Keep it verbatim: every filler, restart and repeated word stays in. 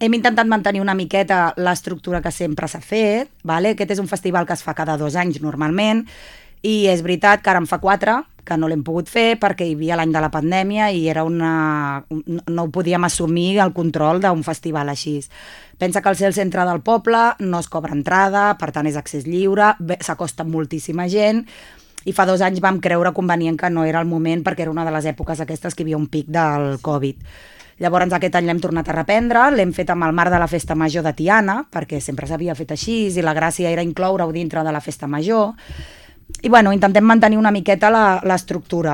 hem intentat mantenir una miqueta l'estructura que sempre s'ha fet, vale? Aquest és un festival que es fa cada dos anys normalment, i és veritat que ara en fa quatre, que no l'hem pogut fer perquè hi havia l'any de la pandèmia i era una... no ho podíem assumir el control d'un festival així. Pensa que al ser el centre del poble no es cobra entrada, per tant és accés lliure, s'acosta moltíssima gent, i fa dos anys vam creure convenient que no era el moment perquè era una de les èpoques aquestes que hi havia un pic del Covid. Llavors aquest any l'hem tornat a reprendre, l'hem fet amb el marc de la Festa Major de Tiana, perquè sempre s'havia fet així i la gràcia era incloure-ho dintre de la Festa Major. I bueno, intentem mantenir una miqueta l'estructura.